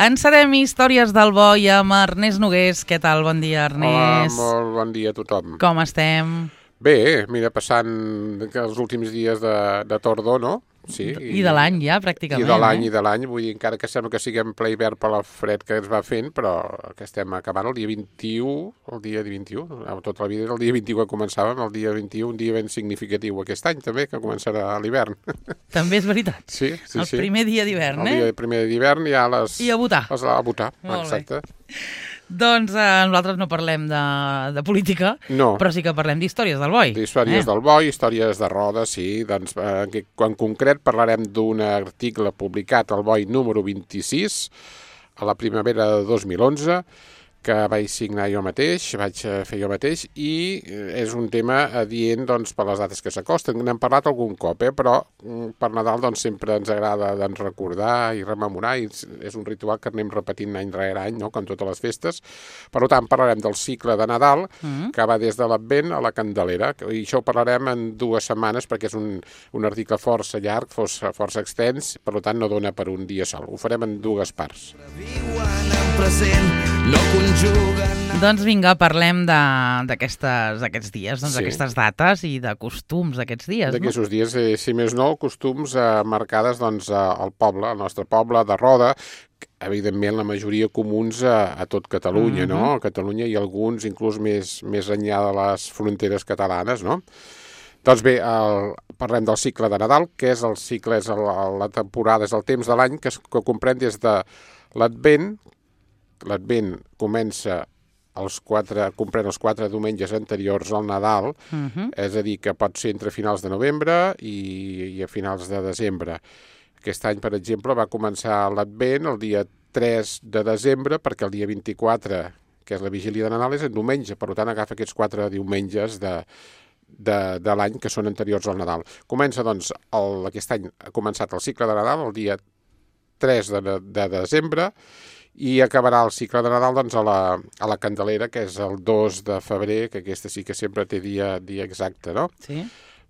Encetem Històries del Boi amb Ernest Nogués. Què tal? Bon dia, Ernest. Hola, molt bon dia a tothom. Com estem? Bé, mira, passant els últims dies de tardor, no? Sí. I de l'any ja, pràcticament. I de l'any, vull dir, encara que sembla que siguem ple hivern per la fred que ens va fent, però que estem acabant el dia 21, tota la vida era el dia 21 que començàvem, el dia 21, un dia ben significatiu aquest any també, que començarà l'hivern. També és veritat. Sí. El primer dia d'hivern, El primer d'hivern ja I a votar. A votar, exacte. Doncs nosaltres no parlem de política, però sí que parlem d'històries del Boi. D'històries del Boi, històries de roda, sí. Doncs, en concret parlarem d'un article publicat al Boi número 26, a la primavera de 2011, que vaig signar jo mateix, vaig fer jo mateix, i és un tema adient doncs, per les dates que s'acosten. N'hem parlat algun cop, però per Nadal doncs, sempre ens agrada doncs, recordar i rememorar, i és un ritual que anem repetint any rere any, no? Com totes les festes. Per tant, parlarem del cicle de Nadal, que va des de l'Advent a la Candelera, i això ho parlarem en 2 setmanes, perquè és un article força llarg, força extens, per tant no dona per un dia sol. Ho farem en 2 parts. Doncs vinga, parlem d'aquests dies, d'aquestes dates i de costums d'aquests dies. D'aquests dies, si més no, costums marcades doncs, al poble, al nostre poble de Roda, evidentment la majoria comuns a tot Catalunya, no? A Catalunya i alguns inclús més enllà de les fronteres catalanes, no? Doncs bé, parlem del cicle de Nadal, que és el cicle, és la temporada, és el temps de l'any que comprèn des de l'Advent. L'Advent comença comprèn els 4 diumenges anteriors al Nadal, és a dir, que pot ser entre finals de novembre i a finals de desembre. Aquest any, per exemple, va començar l'Advent el dia 3 de desembre, perquè el dia 24, que és la vigília de Nadal, és en diumenge, per tant agafa aquests 4 diumenges de l'any que són anteriors al Nadal. Comença, doncs, aquest any ha començat el cicle de Nadal el dia 3 de desembre, i acabarà el cicle de Nadal doncs, a la Candelera, que és el 2 de febrer, que aquesta sí que sempre té dia exacte, no? Sí.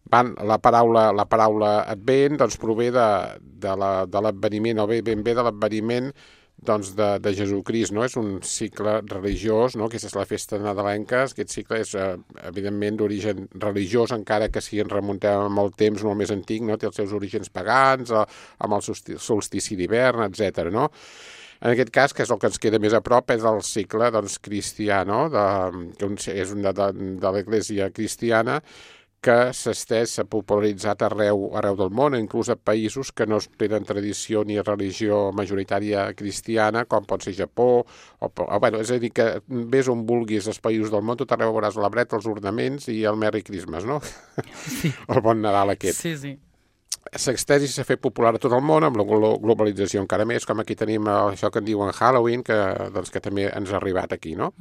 La paraula Advent doncs, prové de l'adveniment, o ben bé de l'adveniment doncs, de Jesucrist, no? És un cicle religiós, no? Aquesta és la festa nadalenca. Aquest cicle és, evidentment, d'origen religiós, encara que si ens remuntem amb el temps molt més antic, no? Té els seus orígens pagans, amb el solstici d'hivern, etc. No? En aquest cas, que és el que ens queda més a prop, és el cicle doncs, cristià, no? Que és de l'Església cristiana, que s'ha popularitzat arreu del món, inclús a països que no tenen tradició ni religió majoritària cristiana, com pot ser Japó, és a dir, que ves on vulguis els països del món, tot arreu veuràs l'arbre, els ornaments i el Merry Christmas, no? Sí. El bon Nadal aquest. Sí. S'ha extès i s'ha fet popular a tot el món, amb la globalització encara més, com aquí tenim això que en diuen Halloween, que també ens ha arribat aquí, no?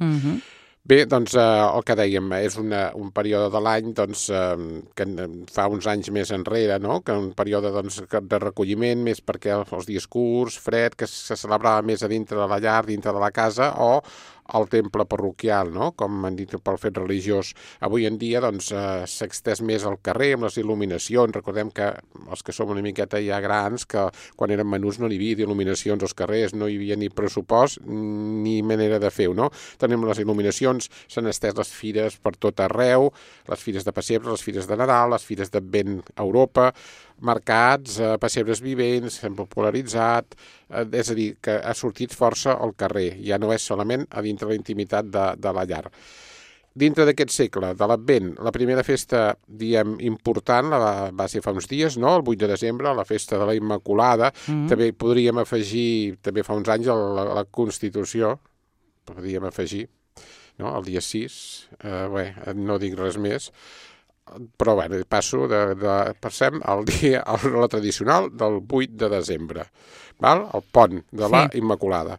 Bé, doncs el que dèiem, és un període de l'any doncs, que fa uns anys més enrere, no? Que un període doncs, de recolliment, més perquè els dies curts, fred, que se celebrava més a dintre de la llar, dintre de la casa, o al temple parroquial, no? Com han dit pel fet religiós. Avui en dia doncs, s'ha extès més al carrer amb les il·luminacions. Recordem que els que som una miqueta ja grans, que quan érem menuts no hi havia il·luminacions als carrers, no hi havia ni pressupost ni manera de fer-ho, no? Tenim les il·luminacions, s'han estès les fires per tot arreu, les fires de pessebre, les fires de Nadal, les fires d'Advent a Europa, mercats, pessebres vivents, s'han popularitzat, és a dir, que ha sortit força al carrer, ja no és solament a dintre la intimitat de la llar. Dintre d'aquest segle, de l'Advent, la primera festa, diem, important, va ser fa uns dies, no? El 8 de desembre, la festa de la Immaculada. També podríem afegir, també fa uns anys, la Constitució, podríem afegir, no? El dia 6, no dic res més, però bé, passo passem al dia, a la tradicional del 8 de desembre, val? El pont de la Immaculada.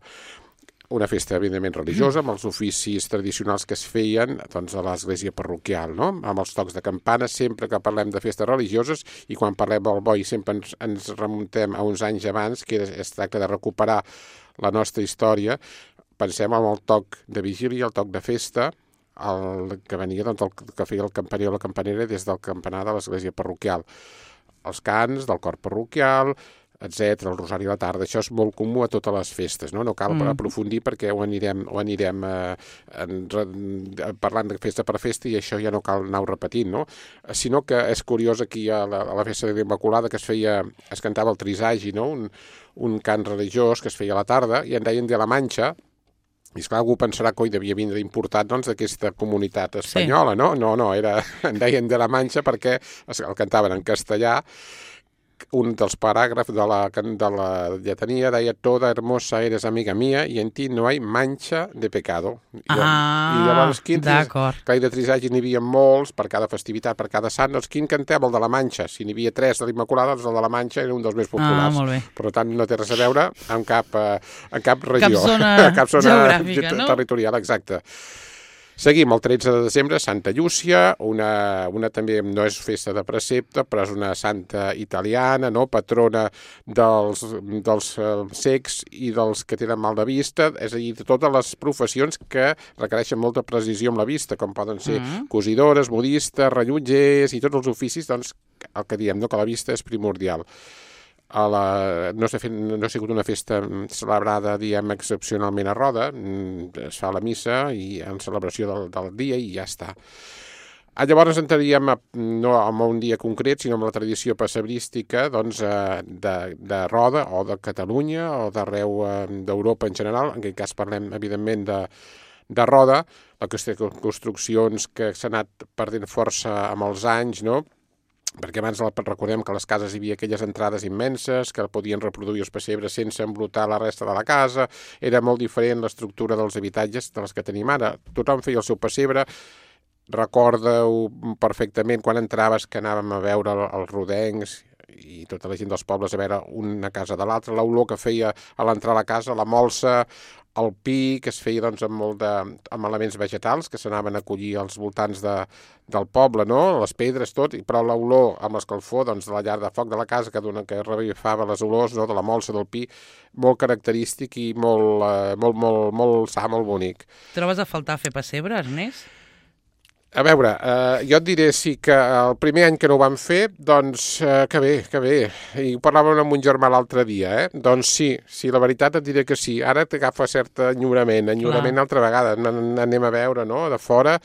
Una festa, evidentment, religiosa, amb els oficis tradicionals que es feien doncs, a l'església parroquial, no? Amb els tocs de campana, sempre que parlem de festes religioses, i quan parlem del Boi sempre ens remuntem a uns anys abans, que es tracta de recuperar la nostra història. Pensem en el toc de vigília, el toc de festa, el que venia, doncs, el que feia el campaner o la campanera des del campanar de l'església parroquial. Els cants del cor parroquial, etc, el rosari a la tarda. Això és molt comú a totes les festes, no? No cal aprofundir perquè ho anirem parlant de festa per festa i això ja no cal anar-ho repetint, no? Sinó que és curiós aquí a la festa de l'Immaculada que es cantava el trisagi, no? Un cant religiós que es feia a la tarda i en deien de la Manxa. I esclar, algú pensarà que devia vindre importat d'aquesta comunitat espanyola, no? No, en deien de la Manxa perquè el cantaven en castellà. Un dels paràgrafs de la lletania deia «Toda hermosa eres amiga mía y en ti no hay mancha de pecado». I llavors, clar, de trisagis n'hi havia molts, per cada festivitat, per cada sant. Doncs quin cantem? El de la Manxa. Si n'hi havia 3 de l'Immaculada, doncs el de la Manxa era un dels més populars. Molt bé. Per tant, no té res a veure amb cap regió. Cap zona geogràfica, no? Territorial, exacte. Seguim el 13 de desembre, Santa Llúcia, una també no és festa de precepte, però és una santa italiana, no? Patrona dels cecs i dels que tenen mal de vista, és a dir, de totes les professions que requereixen molta precisió amb la vista, com poden ser cosidores, modistes, rellotgers i tots els oficis, doncs el que diem, no? Que la vista és primordial. No ha sigut una festa celebrada, diem, excepcionalment a Roda, es fa la missa i en celebració del dia i ja està. Llavors entraríem no en un dia concret, sinó amb la tradició pessebrística doncs, de Roda o de Catalunya o d'arreu d'Europa en general. En aquest cas parlem, evidentment, de Roda, la qüestió de construccions que s'ha anat perdent força amb els anys, no? Perquè abans recordem que a les cases hi havia aquelles entrades immenses, que podien reproduir els pessebres sense embrutar la resta de la casa, era molt diferent l'estructura dels habitatges de les que tenim ara. Tothom feia el seu pessebre, recorda-ho perfectament quan entraves que anàvem a veure els rodencs i tota la gent dels pobles a veure una casa de l'altra, l'olor que feia a l'entrar a la casa, la molsa, el pi, que es feia doncs, amb elements vegetals que s'anaven a collir als voltants del poble, no? Les pedres, tot, però l'olor amb l'escalfor doncs, de la llar de foc de la casa que revifava les olors, no? De la molsa, del pi, molt característic i molt sa, molt bonic. Trobes a faltar fer pessebre, Ernest? A veure, jo et diré sí que el primer any que no ho vam fer, doncs que bé. I ho parlàvem amb un germà l'altre dia, Doncs sí, la veritat et diré que sí. Ara t'agafa cert enyorament altra vegada. Anem a veure, no?, de fora.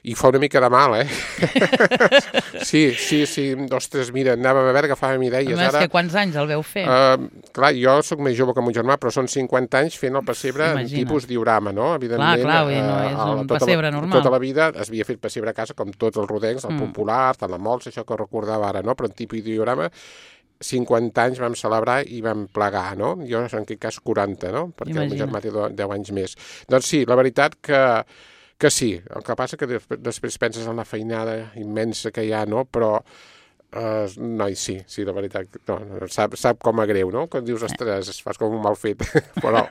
I fa una mica de mal, Sí, ostres, mira, anàvem a veure, agafàvem idees. A més, que quants anys el veu fer? Clar, jo sóc més jove que mon germà, però són 50 anys fent el pessebre en tipus diorama, no? Evidentment, clar, no és un pessebre normal. Tota la vida es havia fet pessebre a casa, com tots els rodencs, el popular, tant la molsa, això que recordava ara, no? Però en tipus diorama, 50 anys vam celebrar i vam plegar, no? Jo, en aquest cas, 40, no? Perquè el meu germà té 10 anys més. Doncs sí, la veritat que sí, el que passa que després penses en la feinada immensa que hi ha, no? Però, noi, sí, la veritat, no, sap com a greu, no? Quan dius, ostres, es fas com un mal fet, però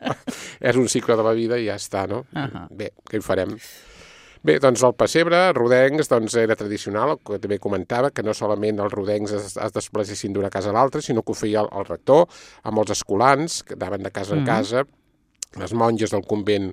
és un cicle de la vida i ja està, no? Bé, què hi farem? Bé, doncs el pessebre, rodencs, doncs era tradicional, que també comentava, que no solament els rodencs es desplacissin d'una casa a l'altra, sinó que ho feia el rector, amb els escolans, que anaven de casa en casa, les monges del convent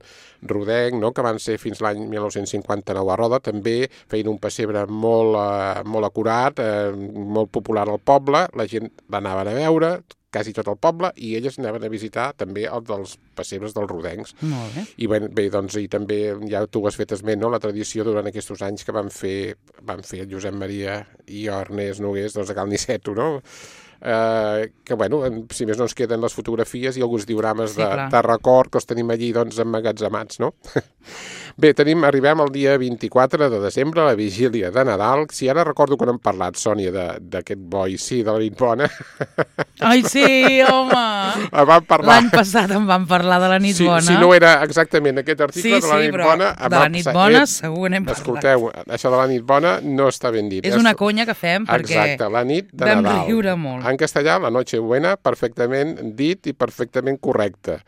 rodenc, no?, que van ser fins l'any 1959 a Roda, també feien un pessebre molt acurat, molt popular al poble, la gent l'anaven a veure, quasi tot el poble, i elles anaven a visitar també el dels pessebres dels rodencs. Molt bé. I bé, doncs, i també ja tu has fet esment, no?, la tradició durant aquests anys que van fer el Josep Maria i Ernest Nogués, doncs, a Cal Niceto, no?, que, bueno, si més no ens queden les fotografies i alguns diorames de record que els tenim allí, doncs, emmagatzemats, no? Bé, arribem al dia 24 de desembre, la vigília de Nadal. Si ara recordo quan hem parlat, Sònia, d'aquest boi, sí, de la nit bona. Ai, sí, home! L'any passat em van parlar de la nit bona. Si no era exactament aquest article de la nit bona... de la nit bona segur n'hem parlat. Escolteu, això de la nit bona no està ben dit. És una conya que fem perquè exacte, la nit de Nadal. Vam riure molt. En castellà, la noche buena, perfectament dit i perfectament correcte.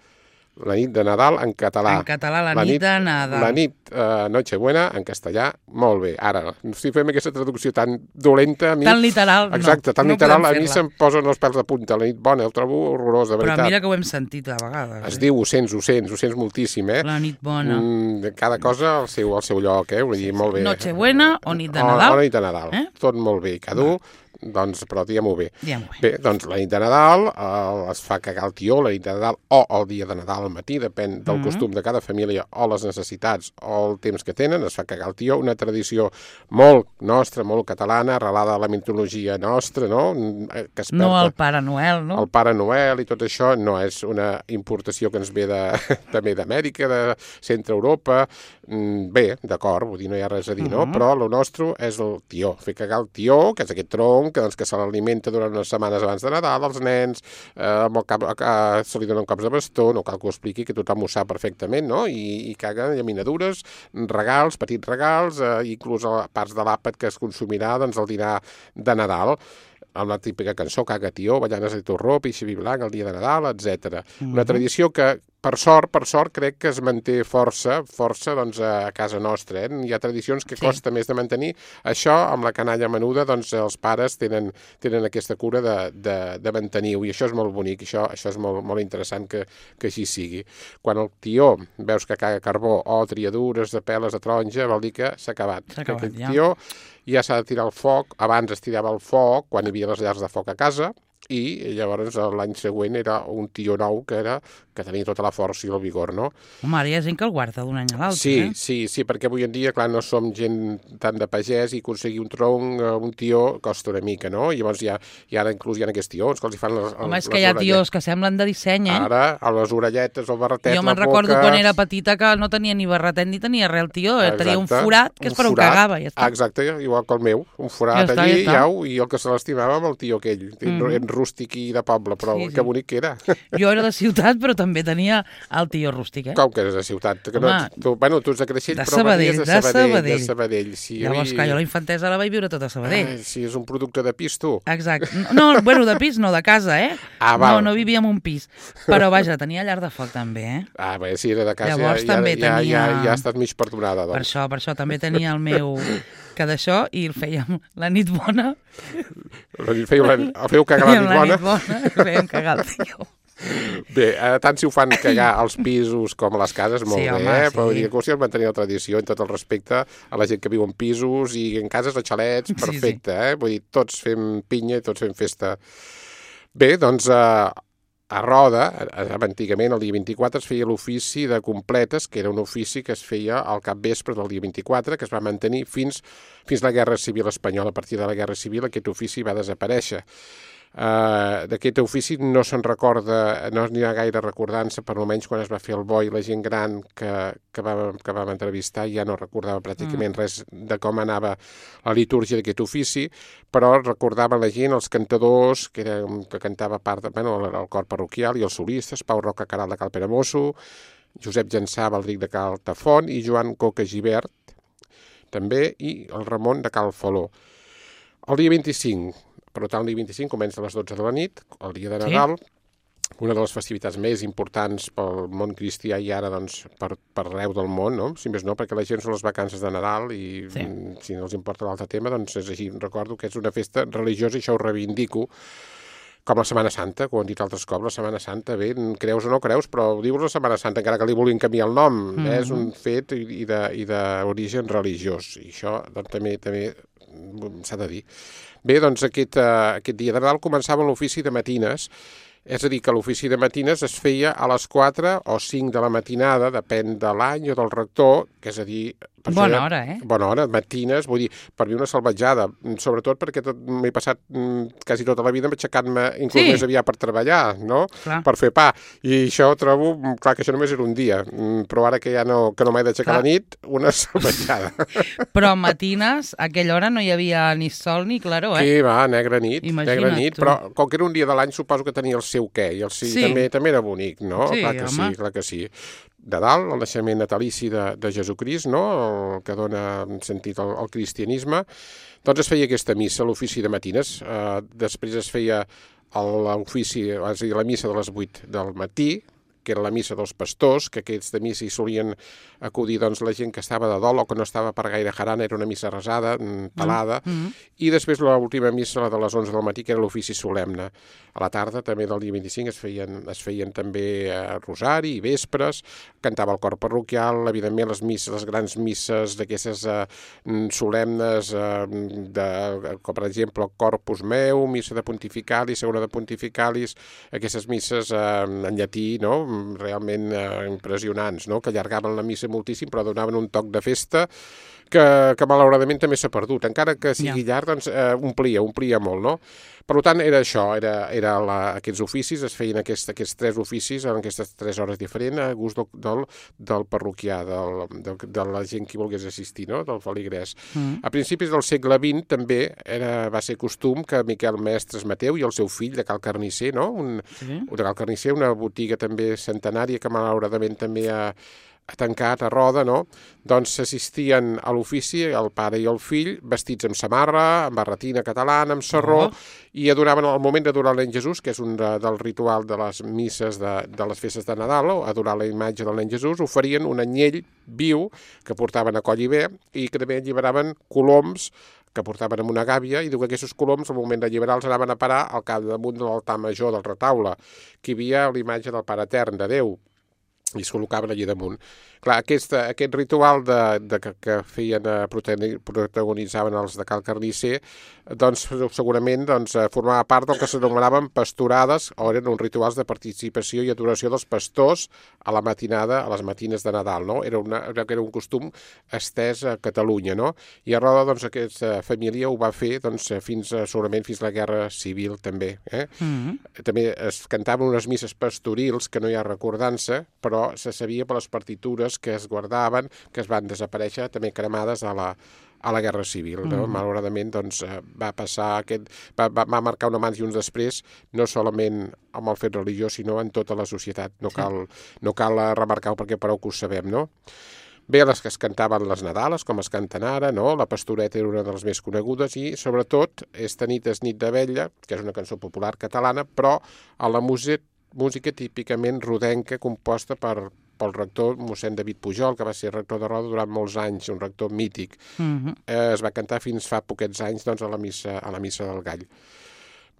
La nit de Nadal en català. En català, la nit de Nadal. La nit Nochebuena en castellà, molt bé. Ara, si fem aquesta traducció tan dolenta... Tan literal, no. Exacte, tan literal, a mi se'm posen els pèls de punta. La nit bona, ho trobo horrorós, de veritat. Però mira que ho hem sentit a vegades. Es diu, ho sents moltíssim, La nit bona. Cada cosa al seu lloc, vull dir, molt bé. Nochebuena o nit de Nadal. O nit de Nadal. Tot molt bé. Cada un doncs, però diguem-ho bé. Diguem-ho bé. Bé, doncs la nit de Nadal es fa cagar el tió, la nit de Nadal o el dia de Nadal al matí, depèn del costum de cada família o les necessitats o el temps que tenen, es fa cagar el tió, una tradició molt nostra, molt catalana, arrelada a la mitologia nostra, no? Que es no el Pare Noel, no? El Pare Noel i tot això no és una importació que ens ve també d'Amèrica, de centre Europa. Bé, d'acord, vull dir, no hi ha res a dir, no? Però el nostre és el tió, fer cagar el tió, que és aquest tronc que se l'alimenta durant unes setmanes abans de Nadal, als nens, se li donen cops de bastó, no cal que ho expliqui, que tothom ho sap perfectament, no? I caguen llaminadures, regals, petits regals, inclús parts de l'àpat que es consumirà doncs, el dinar de Nadal, amb la típica cançó Caga tió, ballanes de torró, pixi blanc, el dia de Nadal, etc. Una tradició que, per sort, crec que es manté força doncs, a casa nostra. Hi ha tradicions que costa més de mantenir. Això, amb la canalla menuda, doncs els pares tenen aquesta cura de mantenir-ho, i això és molt bonic, això és molt, molt interessant que així sigui. Quan el tió veus que caga carbó o triadures de peles de taronja, vol dir que s'ha acabat. Aquest tió ja s'ha de tirar al foc, abans es tirava al foc, quan hi havia les llars de foc a casa, i llavors l'any següent era un tió nou que tenia tota la força i el vigor, no? Home, ara hi ha gent que el guarda d'un any a l'altre, Sí, perquè avui en dia, clar, no som gent tant de pagès i aconseguir un tronc, un tió, costa una mica, no? I llavors ara inclús hi ha aquests tions que els hi fan les Home, és que hi ha tiós que semblen de disseny, Ara, a les orelletes, el barretet, jo me'n recordo quan era petita que no tenia ni barretet ni tenia res el tió, tenia un forat que és per on cagava, ja està. Exacte, igual que el meu, un forat allí, i el que se l'estimava amb el tió aquell, rústic i de poble, però que bonic que era. Jo era de ciutat, però també tenia el tió rústic, Com que eres de ciutat? Tu ets de Creixell, però venies de Sabadell. Sí, llavors, clar, jo la infantesa la vaig viure tota a Sabadell. Sí, és un producte de pis, tu. Exacte. No, bueno, de pis no, de casa, No vivia en un pis. Però, vaja, tenia llar de foc, també, Bé, si era de casa, llavors, també tenia... ja ha estat mig perdonada, doncs. Per això, també tenia el meu... que d'això, i el fèiem la nit bona. Fèieu cagar la nit bona? Fèiem cagar el tió. Bé, tant si ho fan cagar als pisos com a les cases, molt bé, però si es mantenir la tradició, en tot el respecte a la gent que viu en pisos i en cases o xalets, perfecte, Vull dir, tots fem pinya i tots fem festa. Bé, doncs... A Roda, antigament, el dia 24, es feia l'ofici de completes, que era un ofici que es feia al capvespre del dia 24, que es va mantenir fins la Guerra Civil Espanyola. A partir de la Guerra Civil aquest ofici va desaparèixer. D'aquest ofici no se'n recorda, no n'hi ha gaire recordança, per almenys quan es va fer el bo, i la gent gran que vam entrevistar ja no recordava pràcticament res de com anava la litúrgia d'aquest ofici, però recordava la gent, els cantadors, que cantava el cor parroquial, i els solistes, Pau Roca Caral de Cal Peramosso, Josep Jansà Baldric de Cal Tafont i Joan Coca Gibert, també, i el Ramon de Cal Faló. El dia 25, per tant, el dia 25 comença a les 12 de la nit, el dia de Nadal, una de les festivitats més importants pel món cristià i ara doncs, per arreu del món, no? Si més no, perquè la gent són les vacances de Nadal i si no els importa l'altre tema, doncs és així. Recordo que és una festa religiosa i això ho reivindico, com la Setmana Santa, que ho han dit altres cops, la Setmana Santa, bé, creus o no creus, però dius la Setmana Santa, encara que li vulguin canviar el nom, és un fet i d'origen religiós, i això doncs, també s'ha de dir. Bé, doncs aquest dia de Nadal començava l'ofici de matines, és a dir, que l'ofici de matines es feia a les 4 o 5 de la matinada, depèn de l'any o del rector, que és a dir... Bona hora, Bona hora, matines, vull dir, per mi una salvatjada, sobretot perquè m'he passat quasi tota la vida aixecant-me inclús més aviat per treballar, no? Clar. Per fer pa, i això trobo, clar que això només era un dia, però ara que ja no m'he d'aixecar a la nit, una salvatjada. Però matines, a aquella hora no hi havia ni sol ni claror, Sí, va, negra nit, tu. Però com que era un dia de l'any suposo que tenia el seu què, i també era bonic, no? Sí, clar que sí. De dalt, el naixement natalici de Jesucrist, no? El que dona sentit al cristianisme, doncs es feia aquesta missa, l'ofici de matines. Després es feia l'ofici, és a dir, la missa de les 8 del matí, que era la missa dels pastors, que aquests de missa hi solien acudir doncs, la gent que estava de dol o que no estava per gaire jarana, era una missa resada, talada, i després l'última missa, la de les 11 del matí, que era l'ofici solemne. A la tarda, també del dia 25, es feien també rosari i vespres, cantava el cor parroquial, evidentment les grans misses d'aquestes solemnes, com per exemple el Corpus Meu, missa de Pontificalis, segona de Pontificalis, aquestes misses en llatí, no? Realment impressionants, no? Que allargaven la missa moltíssim, però donaven un toc de festa que malauradament també s'ha perdut. Encara que sigui llarg, doncs omplia molt, no? Per tant, era això, aquests oficis, es feien aquests 3 oficis en aquestes 3 hores diferents a gust del parroquià, de la gent que volgués assistir, no? Del feligrès. A principis del segle XX també va ser costum que Miquel Mestres Mateu i el seu fill de Cal Carnisser, no? De Cal Carnisser, una botiga també centenària que malauradament també ha tancat a Roda, no? Doncs s'assistien a l'ofici, el pare i el fill, vestits amb samarra, amb barretina catalana, amb sarró, i adoraven al moment d'adorar el nen Jesús, que és un del ritual de les misses de les festes de Nadal, adorar la imatge del nen Jesús, oferien un anyell viu que portaven a coll i bé i que també alliberaven coloms que portaven amb una gàbia, i diu que aquests coloms, al moment d'alliberar-los, anaven a parar al capdamunt de l'altar major del retaule, que hi havia l'imatge del Pare Etern, de Déu, i es col·locaven allà damunt. Clar, aquest ritual que feien, protagonitzaven els de Cal Carnisser, doncs segurament formava part del que s'anomenaven pastorades, o eren uns rituals de participació i adoració dels pastors a la matinada, a les matines de Nadal, no? Era un costum estès a Catalunya, no? I a Roda, doncs, aquesta família ho va fer, doncs, segurament fins la Guerra Civil, també. També es cantaven unes misses pastorils, que no hi ha recordança, però se sabia per les partitures que es guardaven, que es van desaparèixer també cremades a la Guerra Civil. No? Malauradament doncs, va passar va marcar un abans i un després, no solament amb el fet religiós, sinó en tota la societat. No cal remarcar-ho perquè prou que ho sabem, no? Bé, les que es cantaven les Nadales, com es canten ara, no? La Pastoreta era una de les més conegudes i, sobretot, Esta nit és nit d'abella, que és una cançó popular catalana, però a la música típicament rodenca, composta pel rector mossèn David Pujol, que va ser rector de Roda durant molts anys, un rector mític. Es va cantar fins fa poquets anys doncs, a la missa del Gall.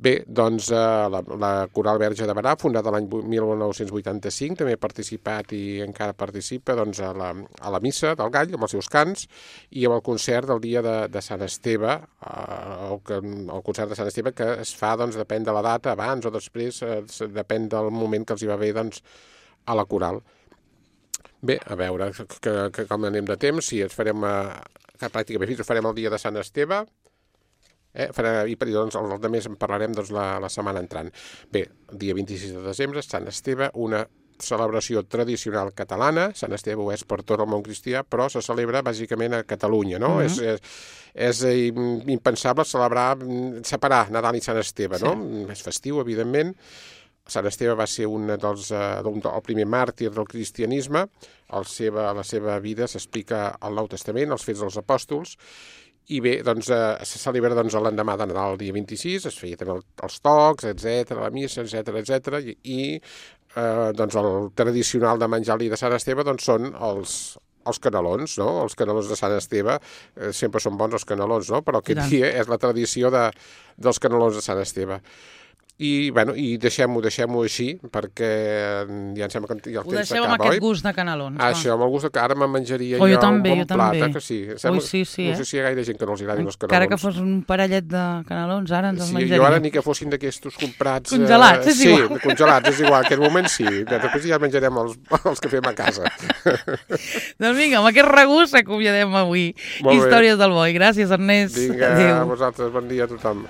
Bé, doncs la Coral Verge de Berà, fundada l'any 1985, també ha participat i encara participa doncs, a la missa del Gall, amb els seus cants, i amb el concert del dia de Sant Esteve, el concert de Sant Esteve que es fa, doncs, depèn de la data, abans o després, depèn del moment que els hi va bé doncs, a la Coral. Bé, a veure com anem de temps, si ens farem pràcticament fins, ho farem el dia de Sant Esteve, i doncs, el de més en parlarem doncs, la setmana entrant. Bé, el dia 26 de desembre, Sant Esteve, una celebració tradicional catalana. Sant Esteve ho és per tot el món cristià, però se celebra bàsicament a Catalunya, no? És impensable separar Nadal i Sant Esteve, no? És festiu, evidentment. Sant Esteve va ser el primer màrtir del cristianisme. La seva vida s'explica al Nou Testament, als Fets dels Apòstols, i bé, doncs, se celebra l'endemà de Nadal, el dia 26, es feia també els tocs, etc., la missa, etc., i doncs el tradicional de menjar-li de Sant Esteve doncs, són els canelons, no? Els canelons de Sant Esteve, sempre són bons els canelons, no? Però aquest dia és la tradició dels canelons de Sant Esteve. I deixem-ho així, perquè ja em sembla que ja el temps s'acaba, oi? Ho deixem amb aquest gust de canelons. Això, amb el gust que ara me'n menjaria jo un bon plat, que sí. No sé si hi ha gaire gent que no els agradin els canelons. Encara que fos un parellet de canelons, ara ens els menjaria. Jo ara ni que fossin d'aquestos comprats... Congelats, és igual. Sí, congelats, és igual. En aquest moment sí. Després ja menjarem els que fem a casa. Doncs vinga, amb aquest regust acomiadem avui Històries del Boi. Gràcies, Ernest. Vinga, a vosaltres. Bon dia a tothom.